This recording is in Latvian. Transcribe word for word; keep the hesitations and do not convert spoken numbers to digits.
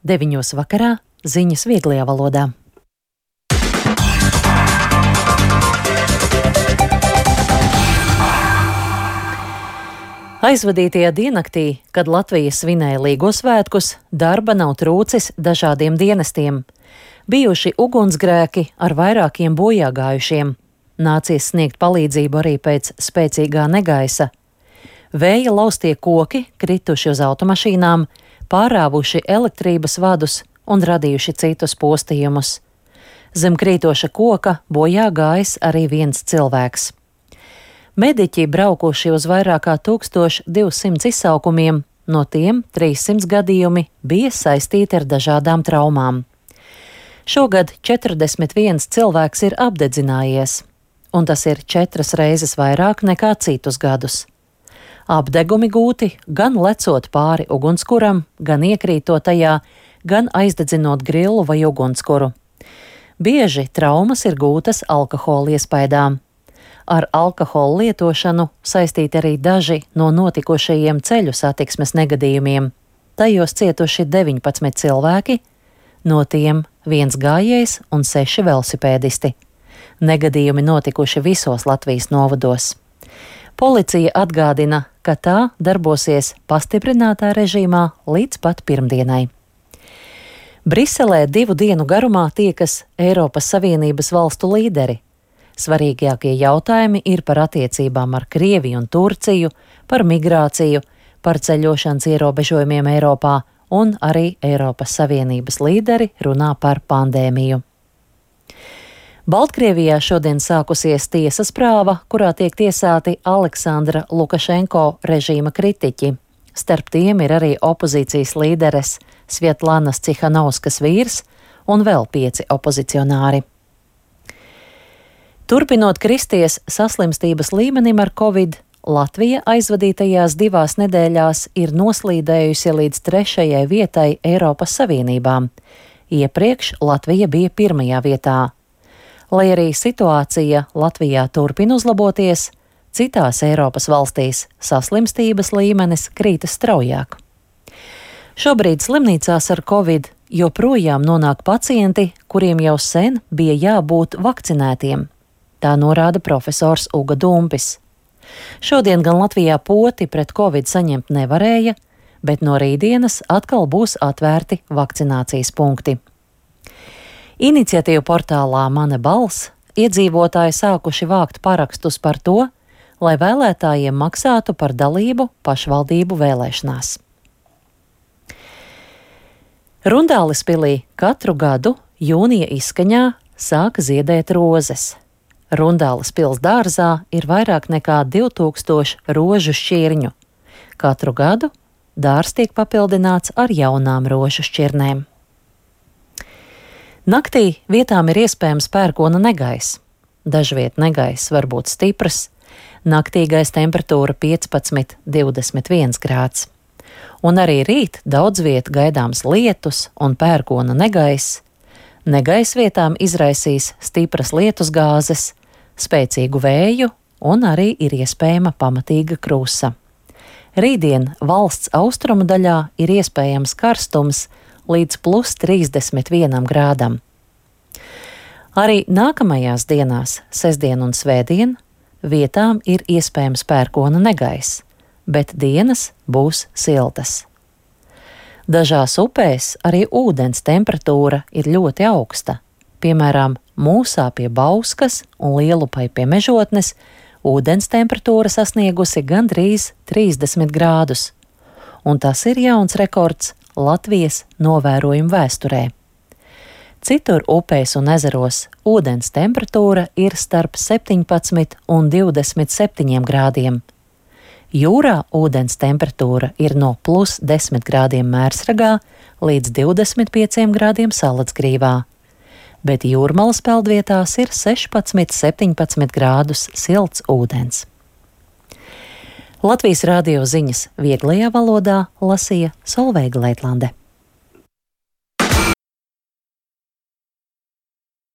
Deviņos vakarā ziņas vieglajā valodā. Aizvadītajā diennaktī, kad Latvija svinēja Līgo svētkus, darba nav trūcis dažādiem dienestiem. Bijuši ugunsgrēki ar vairākiem bojāgājušiem. Nācies sniegt palīdzību arī pēc spēcīgā negaisa. Vēja laustie koki krituši uz automašīnām, pārāvuši elektrības vadus un radījuši citus postījumus. Zem krītoša koka bojā gājis arī viens cilvēks. Mediķi braukuši uz vairāk kā tūkstoš divsimt izsaukumiem, no tiem trīssimt gadījumi bija saistīti ar dažādām traumām. Šogad četrdesmit viens cilvēks ir apdedzinājies, un tas ir četras reizes vairāk nekā citus gadus. Apdegumi gūti gan lecot pāri ugunskuram, gan iekrītot tajā, gan aizdedzinot grillu vai ugunskuru. Bieži traumas ir gūtas alkohola iespaidā. Ar alkohola lietošanu saistīti arī daži no notikušajiem ceļu satiksmes negadījumiem. Tajos cietuši deviņpadsmit cilvēki, no tiem viens gājējs un seši velosipēdisti. Negadījumi notikuši visos Latvijas novados. Policija atgādina, ka tā darbosies pastiprinātā režīmā līdz pat pirmdienai. Briselē divu dienu garumā tiekas Eiropas Savienības valstu līderi. Svarīgākie jautājumi ir par attiecībām ar Krieviju un Turciju, par migrāciju, par ceļošanas ierobežojumiem Eiropā, un arī Eiropas Savienības līderi runā par pandēmiju. Baltkrievijā šodien sākusies tiesas prāva, kurā tiek tiesāti Aleksandra Lukašenko režīma kritiķi. Starp tiem ir arī opozīcijas līderes Svietlanas Cihanovskas vīrs un vēl pieci opozicionāri. Turpinot kristies saslimstības līmenim ar covid, Latvija aizvadītajās divās nedēļās ir noslīdējusi līdz trešajai vietai Eiropas Savienībā. Iepriekš Latvija bija pirmajā vietā. Lai arī situācija Latvijā turpina uzlaboties, citās Eiropas valstīs saslimstības līmenis krītas straujāk. Šobrīd slimnīcās ar covid joprojām nonāk pacienti, kuriem jau sen bija jābūt vakcinētiem. Tā norāda profesors Uga Dumpis. Šodien gan Latvijā poti pret covid saņemt nevarēja, bet no rītdienas atkal būs atvērti vakcinācijas punkti. Iniciatīvu portālā Mana balss iedzīvotāji sākuši vākt parakstus par to, lai vēlētājiem maksātu par dalību pašvaldību vēlēšanās. Rundālispilī katru gadu jūnija izskaņā sāka ziedēt rozes. Rundāles pils dārzā ir vairāk nekā divtūkstoši rožu šķirņu. Katru gadu dārs tiek papildināts ar jaunām rožu šķirnēm. Naktī vietām ir iespējams pērkona negaiss. Dažviet negaiss var būt stiprs, naktīgais temperatūra piecpadsmit līdz divdesmit viens grāds. Un arī rīt daudz viet gaidāms lietus un pērkona negaiss. Negaiss vietām izraisīs stipras lietusgāzes, spēcīgu vēju un arī ir iespējama pamatīga krusa. Rītdien valsts austrumu daļā ir iespējams karstums līdz plus trīsdesmit vienam grādam. Arī nākamajās dienās, sestdien un svētdien, vietām ir iespējams pērkona negaiss, bet dienas būs siltas. Dažās upēs arī ūdens temperatūra ir ļoti augsta. Piemēram, Mūsā pie Bauskas un Lielupai pie Mežotnes ūdens temperatūra sasniegusi gandrīz trīsdesmit grādus, un tas ir jauns rekords Latvijas novērojumu vēsturē. Citur upēs un ezeros ūdens temperatūra ir starp septiņpadsmit un divdesmit septiņiem grādiem. Jūrā ūdens temperatūra ir no plus desmit grādiem Mērsragā līdz divdesmit pieciem grādiem Salacgrīvā, bet jūrmalas peldvietās ir sešpadsmit līdz septiņpadsmit grādus silts ūdens. Latvijas radio ziņas vieglajā valodā lasīja Solveiga Leitlande.